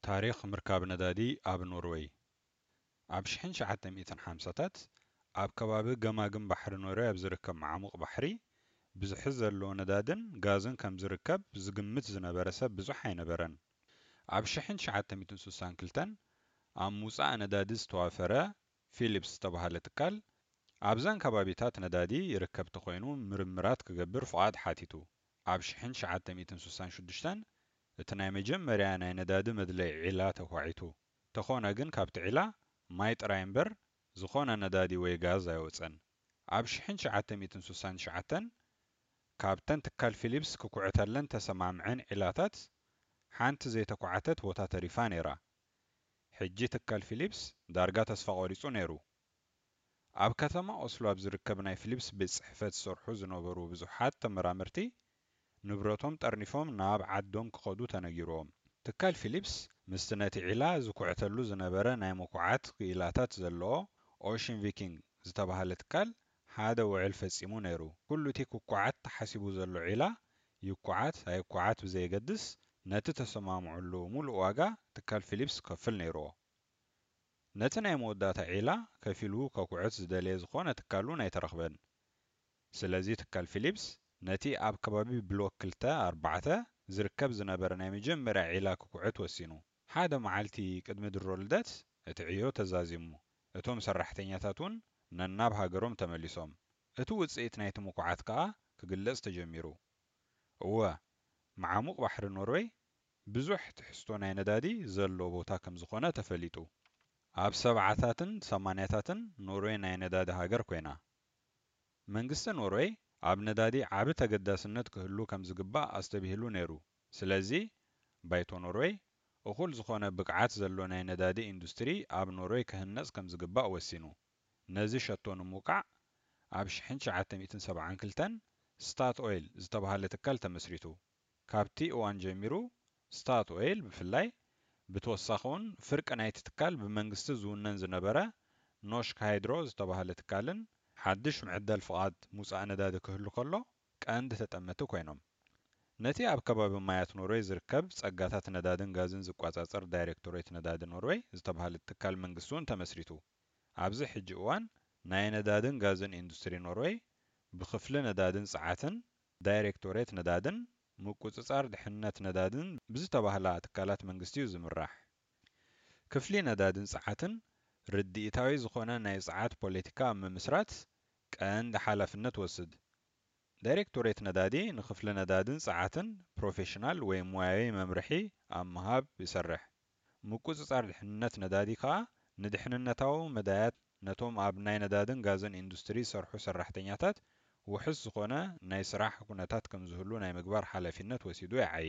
ታሪኽ ምርካብ ነዳዲ ኣብ ኖርወይ። ኣብ ሽሕን ትሽዓተ ሚእትን ሓምሳታት ኣብ ከባቢ ገማግም ባሕሪ ኖርወይ ኣብ ዝርከብ መዓሙቕ ባሕሪ ብዝሒ ዘለዎ ነዳድን ጋዝን ከም ዝርከብ ዝግምት ዝነበረ ሰብ ብዙሕ ኣይነበረን። ኣብ ሽሕን ትሽዓተ ሚእትን ስሳን ክልተን ኣብ ምውጻእ ነዳዲ ዝተዋፈረ ፊሊፕስ ዝተባህለ ትካል ኣብዘን ከባቢታት ነዳዲ ይርከብ ተኾይኑ ምርምራት ክገብር ፍቓድ ሓቲቱ። ኣብ ሽሕን ትሽዓተ ሚእትን ስሳን ሽዱሽተን እቲ ናይ መጀመርያ ናይ ነዳዲ መድለይ ዒላ ተኳዒቱ። ተኾነ ግን ካብቲ ዒላ ማይ ጥራይ እምበር ዝኾነ ነዳዲ ወይ ጋዝ ኣይወጸን። ኣብ ሽሕን ትሽዓተ ሚእትን ስሳን ትሽዓተን ካብተን ትካል ፊሊፕስ ክኩዕተለን ተሰማምዐን ዒላታት ሓንቲ ዘይተኳዕተት ቦታ ተሪፋ ነይራ። ሕጂ ትካል ፊሊፕስ ዳርጋ ተስፋ ቆሪጹ ነይሩ። ኣብ ከተማ ኦስሎ ኣብ ዝርከብ ናይ ፊሊፕስ ቤት ጽሕፈት ዝሰርሑ ዝነበሩ ብዙሓት ተመራመርቲ ንብረቶም ጠርኒፎም ናብ ዓዶም ክኸዱ ተነጊርዎም። ትካል ፊሊፕስ ምስቲ ነቲ ዒላ ዝኩዕተሉ ዝነበረ ናይ ምኩዓት ክኢላታት ዘለዎ ኦሽን ቪኪንግ ዝተባህለ ትካል ሓደ ውዕል ፈጺሙ ነይሩ። ኩሉ እቲ ክኩዓት ተሓሲቡ ዘሎ ዒላ ይኩዓት ኣይኩዓት ብዘየገድስ ነቲ ተሰማምዑሉ ሙሉእ ዋጋ ትካል ፊሊፕስ ክከፍል ነይርዎ። ነቲ ናይ መወዳእታ ዒላ ከፊሉ ከኩዕት ዝደለየ ዝኾነ ትካል እውን ኣይተረኽበን። ስለዚ ትካል ፊሊፕስ ነቲ ኣብ ከባቢ ብሎክ ክልተ ኣርባዕተ ዝርከብ ዝነበረ ናይ መጀመርያ ዒላ ክኩዕት ወሲኑ። ሓደ መዓልቲ ቅድሚ ድሮ ልደት እቲ ዕዮ ተዛዚሙ። እቶም ሰራሕተኛታት እውን ነናብ ሃገሮም ተመሊሶም። እቲ ውጽኢት ናይቲ ምኩዓት ከኣ ክግለጽ ተጀሚሩ። እወ፣ መዓሙቕ ባሕሪ ኖርወይ ብዙሕ ትሕዝቶ ናይ ነዳዲ ዘሎ ቦታ ከም ዝኾነ ተፈሊጡ። ኣብ ሰብዓታትን ሰማንያታትን ኖርወይ ናይ ነዳዲ ሃገር ኮይና። መንግስቲ ኖርወይ ኣብ ነዳዲ ዓቢ ተገዳስነት ክህሉ ከም ዝግባእ ኣስተብሂሉ ነይሩ። ስለዚ ባይቶ ኖርወይ እኹል ዝኾነ ብቕዓት ዘሎ ናይ ነዳዲ ኢንዱስትሪ ኣብ ኖርወይ ክህነጽ ከም ዝግባእ ወሲኑ። ነዚ ሸቶ ንምውቃዕ ኣብ ሽሕን ትሽዓተ ሚእትን ሰብዓን ክልተን ስታት ኦይል ዝተባህለ ትካል ተመስሪቱ። ካብቲ እዋን ጀሚሩ ስታት ኦይል ብፍላይ ብተወሳኺ እውን ፍርቂ ናይቲ ትካል ብመንግስቲ ዝውነን ዝነበረ ኖሽክ ሃይድሮ ዝተባህለ ትካልን ሓድሽ ምዕዳል ፍቓድ ምውጻእ ነዳዲ ክህሉ ከሎ ቀንዲ ተጠመቲ ኮይኖም። ነቲ ኣብ ከባቢ ማያት ኖርወይ ዝርከብ ጸጋታት ነዳድን ጋዝን ዝቆጻጸር ዳይሬክቶሬት ነዳዲ ኖርወይ ዝተባህለ ትካል መንግስቲ እውን ተመስሪቱ። ኣብዚ ሕጂ እዋን ናይ ነዳድን ጋዝን ኢንዱስትሪ ኖርወይ ብክፍሊ ነዳድን ጸዓትን ዳይሬክቶሬት ነዳድን ምቁጽጻር ድሕነት ነዳድን ብዝተባህላ ትካላት መንግስቲ እዩ ዝምራሕ። ክፍሊ ነዳድን ጸዓትን ርድኢታዊ ዝኾነ ናይ ጸዓት ፖለቲካ ኣብ ምምስራት ቀንዲ ሓላፍነት ወስድ። ዳይሬክቶሬት ነዳዲ ንክፍሊ ነዳድን ጸዓትን ፕሮፌሽናል ወይ ሞያዊ መምርሒ ኣብ ምሃብ ይሰርሕ። ምቁጽጻር ድሕንነት ነዳዲ ከኣ ንድሕንነታዊ መዳያት ነቶም ኣብ ናይ ነዳድን ጋዝን ኢንዱስትሪ ዝሰርሑ ሰራሕተኛታት ውሑስ ዝኾነ ናይ ስራሕ ኩነታት ከም ዝህሉ ናይ ምግባር ሓላፊነት ወሲዱ ይዓዪ።